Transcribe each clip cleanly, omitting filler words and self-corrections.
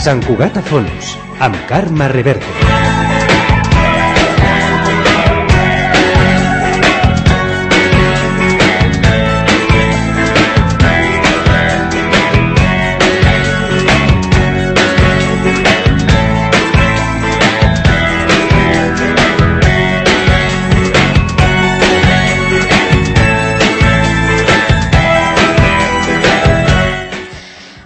Sant Cugat a fons, amb Carme Reverte.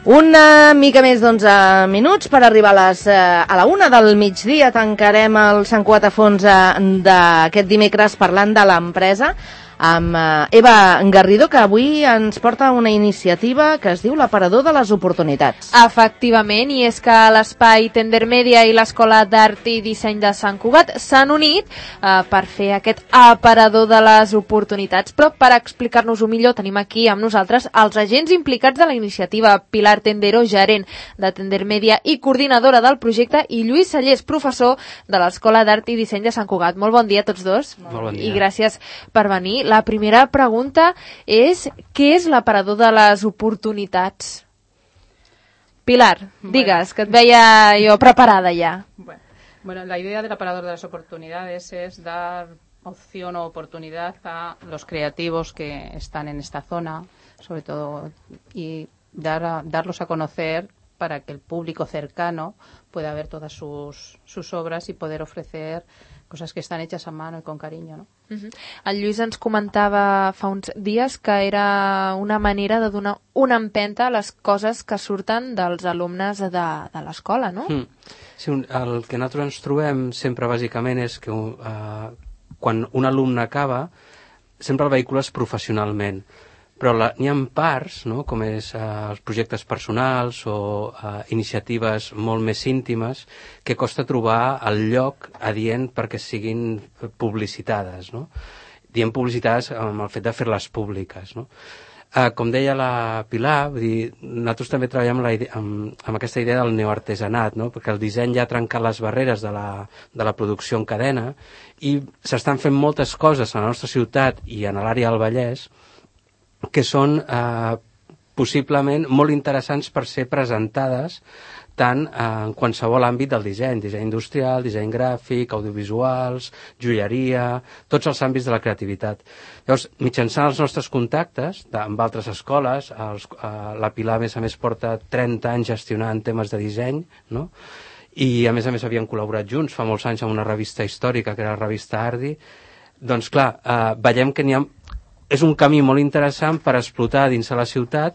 Una mica més d'11 minuts per arribar a la 1 del migdia. Tancarem el Sant Cugat a fons d'aquest dimecres parlant de l'empresa amb Eva Garrido, que avui ens porta una iniciativa que es diu l'Aparador de les Oportunitats. Efectivament, i és que l'Espai Tendermèdia i l'Escola d'Art i Disseny de Sant Cugat s'han unit per fer aquest aparador de les oportunitats. Però per explicar-nos-ho millor tenim aquí amb nosaltres els agents implicats de la iniciativa: Pilar Tendero, gerent de Tendermèdia i coordinadora del projecte, i Lluís Sallés, professor de l'Escola d'Art i Disseny de Sant Cugat. Molt bon dia a tots dos. Molt bon dia. I gràcies per venir. La primera pregunta és: què és l'aparador de les oportunitats? Pilar, digues, que et veia yo preparada ya. Bueno, la idea del aparador de las oportunidades es dar opción o oportunidad a los creativos que están en esta zona, sobre todo, y darlos a conocer para que el público cercano pueda ver todas sus obras y poder ofrecer coses que estan hechas a mano i con cariño, no? El Lluís ens comentava fa uns dies que era una manera de donar una empenta a les coses que surten dels alumnes de l'escola, no? Sí, el que nosaltres ens trobem sempre bàsicament és que quan un alumne acaba sempre el vehicules professionalment, però n'hi ha parts, no?, com és els projectes personals o iniciatives molt més íntimes, que costa trobar el lloc adient perquè siguin publicitades, no? Diem publicitades amb el fet de fer-les públiques, no? Com deia la Pilar, vull dir, nosaltres també treballem amb aquesta idea del neoartesanat, no? Perquè el disseny ja ha trencat les barreres de la producció en cadena i s'estan fent moltes coses a la nostra ciutat i a l'àrea del Vallès que són possiblement molt interessants per ser presentades tant en qualsevol àmbit del disseny industrial, disseny gràfic, audiovisuals, joieria, tots els àmbits de la creativitat. Llavors, mitjançant els nostres contactes amb altres escoles, la Pilar, a més, porta 30 anys gestionant temes de disseny, no? I a més havien col·laborat junts fa molts anys amb una revista històrica, que era la revista Ardi. Doncs clar, veiem que és un camí molt interessant per explotar dins de la ciutat,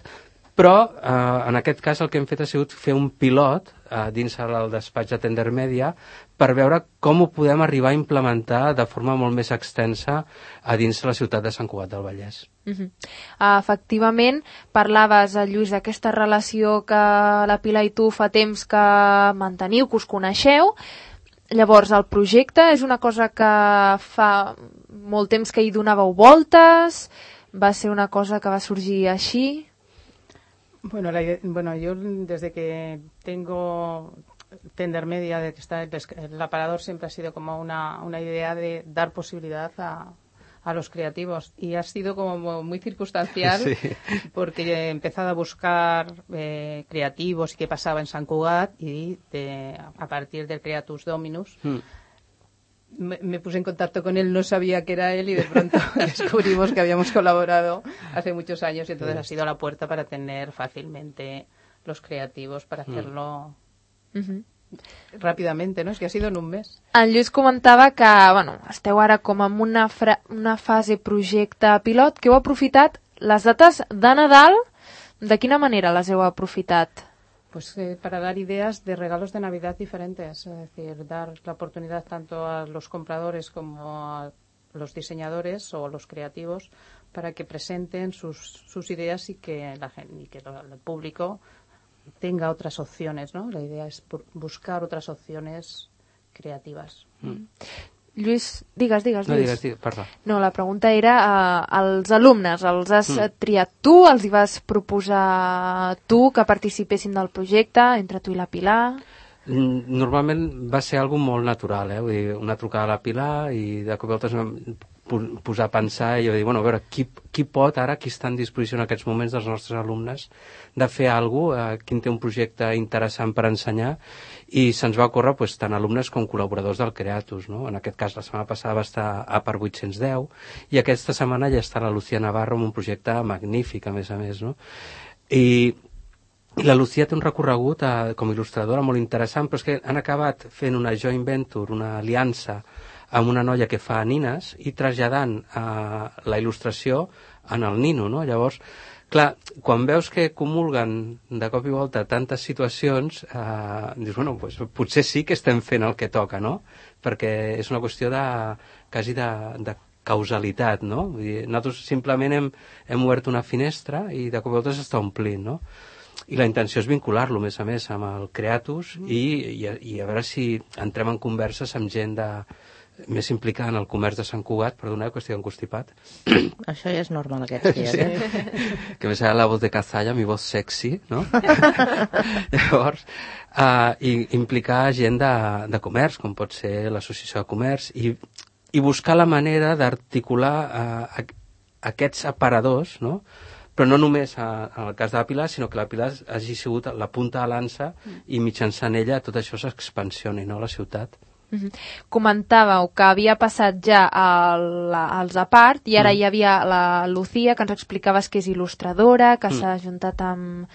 però en aquest cas el que hem fet ha sigut fer un pilot dins el despatx de Tendermèdia per veure com ho podem arribar a implementar de forma molt més extensa a dins la ciutat de Sant Cugat del Vallès. Efectivament, parlaves, Lluís, d'aquesta relació que la Pilar i tu fa temps que manteniu, que us coneixeu. Llavors, el projecte és una cosa que fa molt temps que hi donàveu voltes? Va ser una cosa que va sorgir així? Bueno, yo desde que tengo Tendermèdia, de que está el aparador, siempre ha sido como una idea de dar posibilidad a los creativos, y ha sido como muy circunstancial, sí, porque he empezado a buscar creativos y qué pasaba en Sant Cugat, y a partir del Creatus Dominus me puse en contacto con él, no sabía que era él, y de pronto descubrimos que habíamos colaborado hace muchos años, y entonces ha sido la puerta para tener fácilmente los creativos para hacerlo ràpidament, no? És que ha sido en un mes. El Lluís comentava que, esteu ara com en una fase projecte pilot, que heu aprofitat les dates de Nadal. De quina manera les heu aprofitat? Pues para dar ideas de regalos de Navidad diferentes, es decir, dar la oportunidad tanto a los compradores como a los diseñadores o los creativos para que presenten sus ideas y que el público tenga otras opciones, ¿no? La idea es buscar otras opciones creativas. Lluís, digues. No, digues, parla. No, la pregunta era als alumnes, els has triat tu, els hi vas proposar tu que participessin del projecte, entre tu i la Pilar? Normalment va ser algo molt natural, vull dir, una trucada a la Pilar i de cop i volta posar a pensar i dir, bueno, a veure, qui pot ara, qui està en disposició en aquests moments dels nostres alumnes de fer alguna cosa, qui té un projecte interessant per ensenyar, i se'ns va ocórrer tant alumnes com col·laboradors del Creatus, no? En aquest cas la setmana passada va estar a per 810 i aquesta setmana ja està la Lucía Navarro amb un projecte magnífic, a més, no? I la Lucía té un recorregut com a il·lustradora molt interessant, però és que han acabat fent una joint venture, una aliança amb una noia que fa nines i traslladant la il·lustració en el nino, no? Llavors, clar, quan veus que comulguen de cop i volta tantes situacions, dius, bueno, doncs potser sí que estem fent el que toca, no? Perquè és una qüestió quasi de causalitat, no? Vull dir, nosaltres simplement hem obert una finestra i de cop i volta s'està omplint, no? I la intenció és vincular-lo, a més, amb el Creatus i a veure si entrem en converses amb gent més implicada en el comerç de Sant Cugat, perdona, que estic encostipat. Això ja és normal aquests dies, sí. Que me sale la voz de Cazalla, mi voz sexy, no? Llavors, implicar gent de comerç, com pot ser l'associació de comerç, i buscar la manera d'articular aquests aparadors, no? Però no només en el cas de la Pilar, sinó que la Pilar hagi sigut la punta de lança i mitjançant ella tot això s'expansioni, no?, a la ciutat. Comentàveu que havia passat ja als Apart i ara hi havia la Lucía, que ens explicaves que és il·lustradora, que s'ha ajuntat amb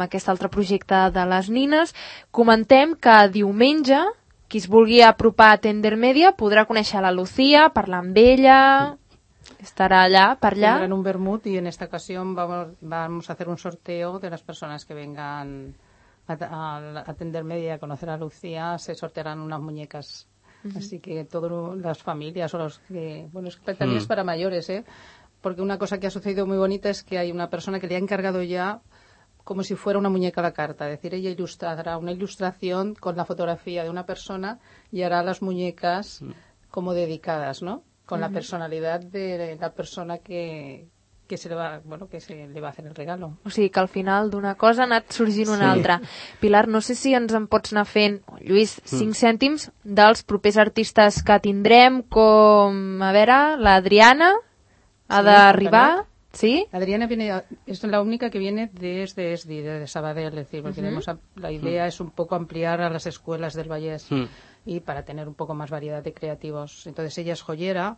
aquest altre projecte de les nines. Comentem que diumenge qui es vulgui apropar a Tender Media podrà conèixer la Lucía, parlar amb ella, estarà allà, per allà. Tendrán un vermut y en esta ocasión vamos a hacer un sorteo de las personas que vengan a Tender Media a conocer a Lucía. Se sortearán unas muñecas, así que todas las familias o los que, bueno, es que también es para mayores, porque una cosa que ha sucedido muy bonita es que hay una persona que le ha encargado ya como si fuera una muñeca a la carta, es decir, ella ilustrará una ilustración con la fotografía de una persona y hará las muñecas como dedicadas, ¿no? Con la personalidad de la persona que se le va a hacer el regalo. O sigui que al final d'una cosa ha anat sorgint una altra. Pilar, no sé si ens en pots anar fent, Lluís, 5 cèntims dels propers artistes que tindrem, com, a veure, l'Adriana ha d'arribar, ¿sí? Adriana es la única que viene desde ESDI, de Sabadell, es decir, porque la idea es un poco ampliar a las escuelas del Vallès y para tener un poco más variedad de creativos. Entonces ella es joyera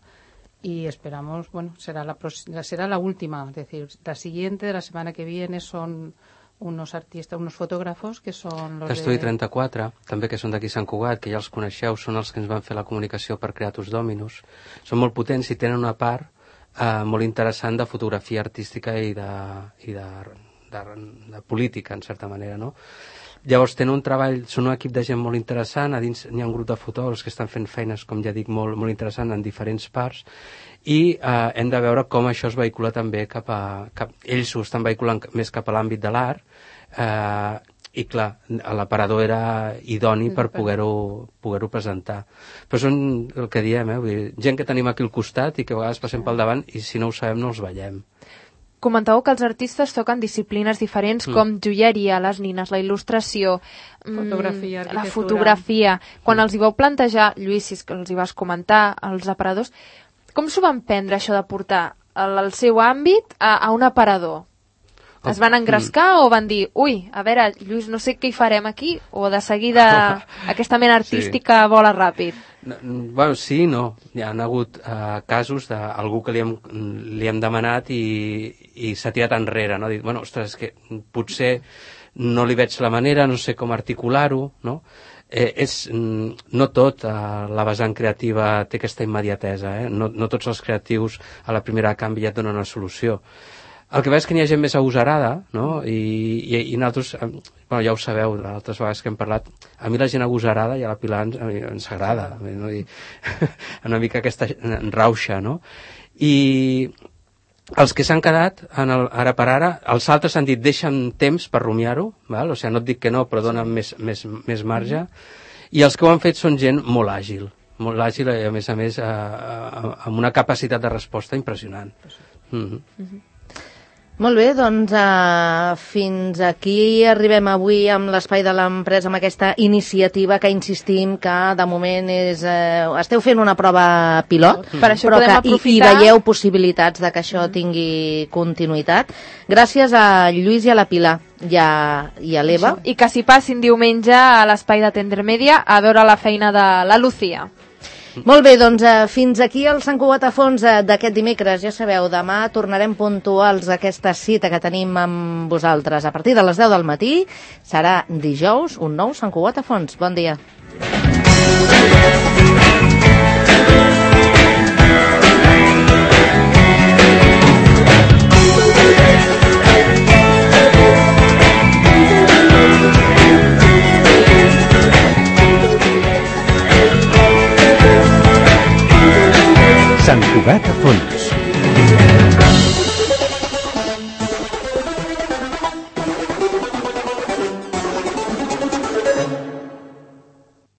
y esperamos, bueno, será la última, es decir, la siguiente de la semana que viene son unos artistes, unos fotògrafos que són los Estudi 34, també que són d'aquí Sant Cugat, que ja els coneixeu, són els que ens van fer la comunicació per Creatus Dominus. Són molt potents i tenen una part molt interessant de fotografia artística i de política, en certa manera, no? Llavors tenen un treball, són un equip de gent molt interessant, a dins n'hi ha un grup de fotògrafs que estan fent feines, com ja dic, molt, molt interessant en diferents parts, i hem de veure com això es vehicula també ells ho estan vehiculant més cap a l'àmbit de l'art, i clar, l'aparador era idoni per poder-ho presentar. Però són el que diem, vull dir, gent que tenim aquí al costat i que a vegades passem pel davant i si no ho sabem no els veiem. Comentàveu que els artistes toquen disciplines diferents com joieria, les nines, la il·lustració, la fotografia. Quan els hi vau plantejar, Lluís, si és que els hi vas comentar, els aparadors, com s'ho van prendre això de portar el seu àmbit a un aparador? Es van engrescar o van dir, ui, a veure, Lluís, no sé què hi farem aquí, o de seguida aquesta mena artística vola ràpid? Bueno, sí, no. Hi ha hagut casos d'algú que li hem demanat i s'ha tirat enrere, no? Ha dit, bueno, ostres, és que potser no li veig la manera, no sé com articular-ho, no? No tot la vessant creativa té aquesta immediatesa, no tots els creatius a la primera canvi ja et donen una solució. El que veig és que n'hi ha gent més agosarada, no? I nosaltres, bueno, ja ho sabeu, altres vegades que hem parlat, a mi la gent agosarada i a la Pilar ens agrada, no? I una mica aquesta rauxa, no? I els que s'han quedat, ara per ara, els altres han dit, deixa'm temps per rumiar-ho, o sigui, no et dic que no, però dona'm més marge, i els que ho han fet són gent molt àgil i a més amb una capacitat de resposta impressionant. Molt bé, doncs fins aquí arribem avui amb l'Espai de l'Empresa, amb aquesta iniciativa que insistim que de moment esteu fent una prova pilot, Per això però podem que hi aprofitar. veieu possibilitats de que això tingui continuïtat. Gràcies a Lluís i a la Pilar i a l'Eva. I que s'hi passin diumenge a l'Espai de Tendermèdia a veure la feina de la Lucía. Molt bé, doncs fins aquí el Sant Cugat a fons d'aquest dimecres. Ja sabeu, demà tornarem puntuals a aquesta cita que tenim amb vosaltres. A partir de les 10 del matí serà dijous un nou Sant Cugat a fons. Bon dia. Sant Cugat a fons.